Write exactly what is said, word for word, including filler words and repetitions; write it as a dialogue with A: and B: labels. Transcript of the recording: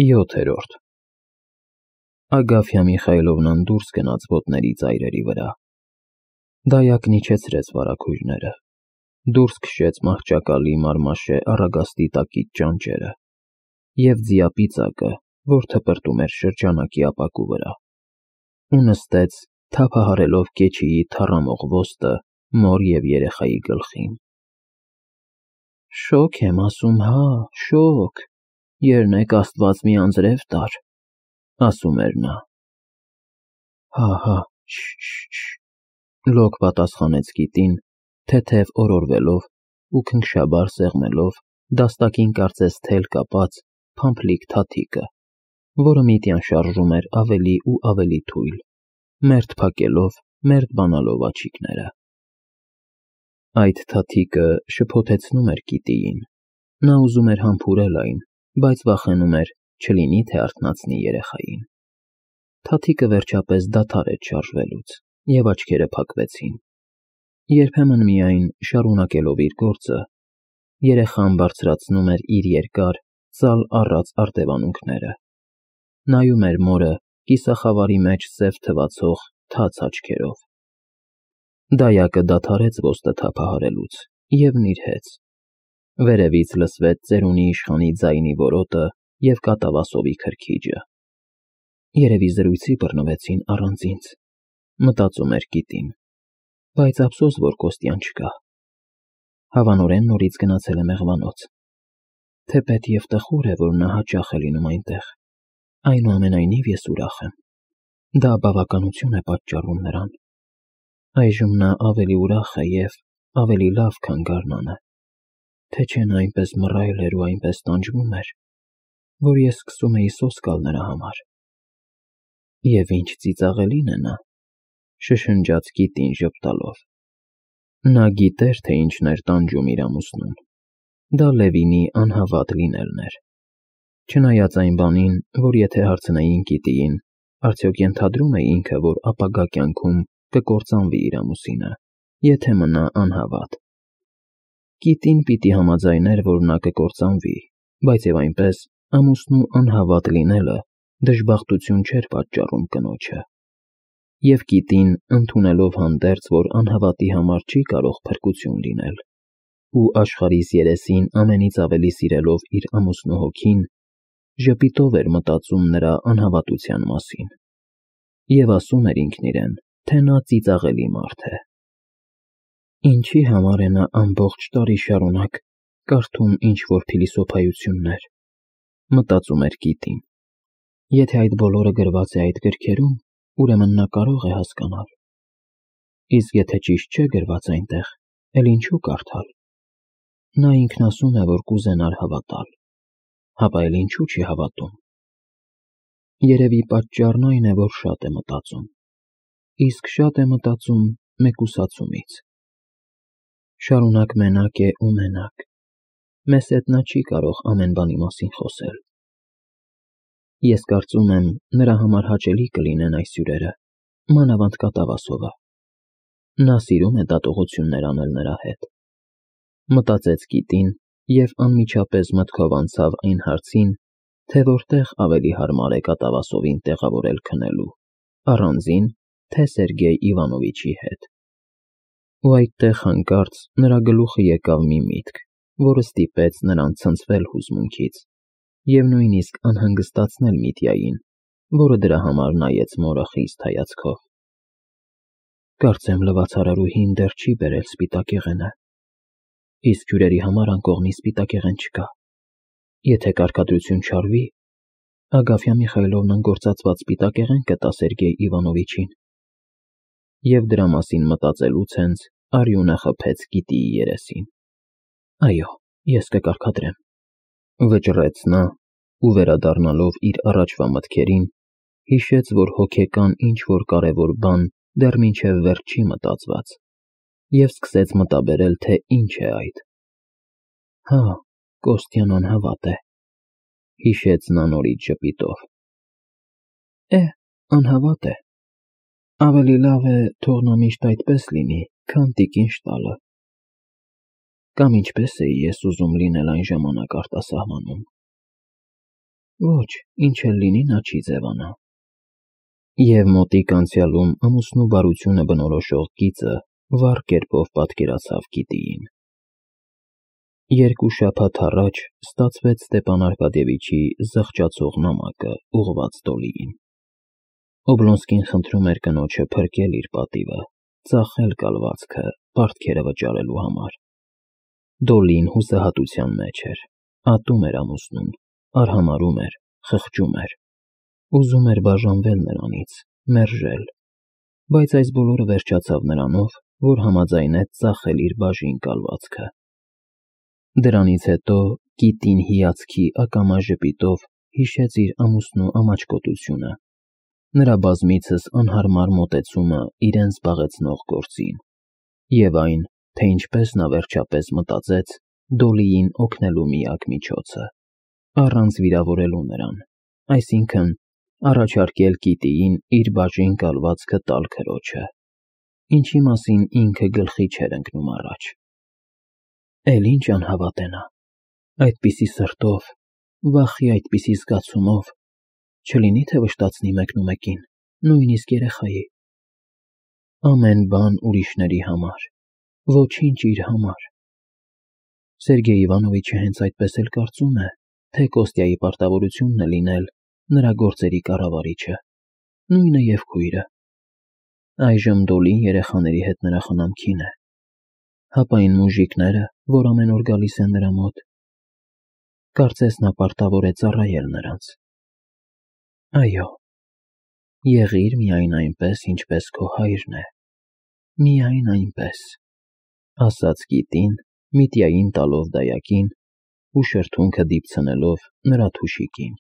A: յոթերորդ Ագաֆյա Միխայիլովնան դուրս գնաց ոտների ծայրերի վրա, դայակն իջեցրեց վարագույրները, դուրս քշեց մահճակալի մարմաշե առագաստի տակից ճանճերը և ձիապիծակը, որ թպրտում էր շրջանակի ապակու վրա, ու նստեց, թափահարելով կեչիի թառամող ոստը մոր և երեխայի գլխին: Շոգ եմ ասում, հա, շոգ, երնեք աստված մի անձրև տար, ասում էր նա: Հա, հա, շշշ, լոկ պատասխանեց կիտին, թեթև օրորվելով ու քնքշաբար սեղմելով դաստակին կարծես թել կապած փամփլիկ թաթիկը, որը միտյան շարժում էր ավելի ու ավելի թույլ, մերթ փակելով, մերթ բանալով աչիկները: Այդ թաթիկը շփոթեցնում էր կիտիին, նա ուզում էր համբուրել այն, բայց վախենում էր, չլինի թե արթնացնի երեխային: Թաթիկը վերջապես դադարեց շարժվելուց, և աչքերը փակվեցին: Երբեմն միայն, շարունակելով իր գործը, երեխան բարձրացնում էր իր երկար, ծալ առած արտևանունքները, նայում էր մորը կիսախավարի մեջ սև թվացող թաց աչքերով: Դայակը դադարեց ոստը թափահարելուց և նիրհեց: Վերևից լսվեց ծերունի իշխանի ձայնի որոտը և կատավասովի քրքիջը: Երևի զրույցի բռնվեցին առանց ինձ, մտածում էր կիտին, բայց ափսոս, որ Կոստյան չկա: Հավանորեն նորից գնացել է մեղվանոց: Թեպետ և տխուր է, որ նա հաճախ է լինում այնտեղ, այնուամենայնիվ ես ուրախ եմ: Դա բավականություն է պատճառում նրան: Այժմ նա ավելի ուրախ է և ավելի լավ, քան գարնանը, թե չէ նա այնպես մռայլ էր ու այնպես տանջվում էր, որ ես սկսում էի սոսկ գալ նրա համար: Եվ ինչ ծիծաղելին է նա, շշնջաց կիտին ժպտալով: Նա գիտեր, թե ինչն էր տանջում իր ամուսնուն: Դա Լևինի անհավատ լինելն էր: Չնայած այն բանին, որ եթե հարցնեին կիտիին, արդյոք ենթադրում է ինքը, որ ապագա կյանքում կկործանվի իր ամուսինը, եթե մնա անհավատ: Կիտին պիտի համաձայներ, որ նա կկործանվի, բայց և այնպես, ամուսնու անհավատ լինելը դժբախտություն չէր պատճառում կնոջը: Եվ կիտին, ընդունելով հանդերձ, որ անհավատի համար չի կարող փրկություն լինել, ու աշխարհիս երեսին ամենից ավելի սիրելով իր ամուսնու հոգին, ժպիտով էր մտածում նրա անհավատության մասին և ասում էր ինքն իրեն, թե նա ծիծաղելի մարդ է: Ինչի համար է նա ամբողջ տարի շարունակ կարդում ինչ-որ փիլիսոփայություններ, մտածում էր կիտին: Եթե այդ բոլորը գրված է այդ գրքերում, ուրեմն նա կարող է հասկանալ: Իսկ եթե ճիշտ չէ գրված այնտեղ, էլ ինչու կարդալ: Նա ինքն ասում է, որ կուզենար հավատալ, հապա էլ ինչու չի հավատում: Երևի պատճառն այն է, որ շատ է մտածում, իսկ շատ է մտածում մեկուսացումից: Շարունակ մենակ է ու մենակ, մեզ հետ նա չի կարող ամեն բանի մասին խոսել: Ես կարծում եմ, նրա համար հաճելի կլինեն այս հյուրերը, մանավանդ կատավասովը: Նա սիրում է դատողություններ անել նրա հետ: Մտածեց կիտին և անմիջապես մտքով անցավ այն հարցին, թե որտեղ ավելի հարմար է կատավասովին տեղավորել քնելու, առանձին, թե Սերգեյ Իվանովիչի հետ: Ու այդտեղ հանկարծ նրա գլուխը եկավ մի միտք, որը ստիպեց նրան ցնցվել հուզմունքից և նույնիսկ անհանգստացնել Միտյային, որը դրա համար նայեց մորը խիստ հայացքով: Կարծեմ լվացարարուհին դեռ չի բերել սպիտակեղենը: Իսկ հյուրերի համար անկողնի սպիտակեղեն չկա: Եթե կարգադրություն չարվի, Ագաֆյա Միխայիլովնան գործածված սպիտակեղեն կտա Սերգեյ Իվանովիչին: Եվ դրա մասին մտածելուց հենց արյունը խփեց կիտիի երեսին: Այո, ես կկարգադրեմ: Վճռեց նա ու վերադառնալով իր առաջվա մտքերին, հիշեց, որ հոգեկան ինչ-որ կարևոր բան դեռ մինչև վերջ չի մտածված և սկսեց մտաբերել, թե ինչ է այդ: Հա, Կոստյան անհավատ է, հիշեց նա նորից ժպիտով: Է, անհավատ է: Ավելի լավ է թող նա միշտ այդպես լինի, քան տիկին շտալը: Կամ ինչպես էի ես ուզում լինել այն ժամանակ արտասահմանում: Ոչ, ինչ էլ լինի, նա չի ձևանա։ Եվ մոտիկ անցյալում ամուսնու բարությունը բնորոշող գիծը վառ կերպով պատկերացավ Կիտիին։ Երկու շաբաթ առաջ ստացվեց Ստեփան Արկադիևիչի զղջացող նամակը ուղղված Դոլիին։ Օբլոնսկին խնդրում էր կնոջը փրկել իր պատիվը, ծախել կալվածքը պարտքերը վճարելու համար։ Դոլին հուսահատության մեջ էր, ատում էր ամուսնուն, արհամարհում էր, խղճում էր, ուզում էր բաժանվել նրանից, մերժել, բայց այս բոլորը վերջացավ նրանով, որ համաձայնեց ծախել իր բաժին կալվածքը։ Դրանից հետո Կիտին հիացքի ակամա ժպիտով հիշեց իր ամուսնու ամաչկոտությունը, նրա բազմիցս անհարմար մոտեցումը իրեն զբաղեցնող գործին, և այն, թե ինչպես նա վերջապես մտածեց Դոլիին օգնելու միակ միջոցը, առանց վիրավորելու նրան, այսինքն՝ առաջարկել Կիտիին իր բաժին կալվածքը տալ քրոջը, ինչի մասին ինքը գլխի չէր ընկնում առաջ։ Էլ ինչ անհավատ է նա, այդպիսի սրտով, վախի այդպիսի զգացումով, չլինի թե վշտացնի մեկնումեկին, նույնիսկ երեխայի։ Ամեն բան ուրիշների համար, ոչինչ իր համար։ Սերգեյ Իվանովիչը հենց այդպես էլ կարծում է, թե Կոստյայի պարտավորությունն է լինել նրա գործերի կառավարիչը, նույնը և քույրը։ Այժմ Դոլին երեխաների հետ նրա խնամքին է, հապա այն մուժիկները, որ ամեն օր գալիս են նրա մոտ, կարծես նա պարտավոր է ծառայել նրանց։ Այո, եղիր միայն այնպես, ինչպես քո հայրն է, միայն այնպես, ասաց Կիտին, միտիային տալով դայակին ու շրթունքը դիպցնելով նրա թուշիկին։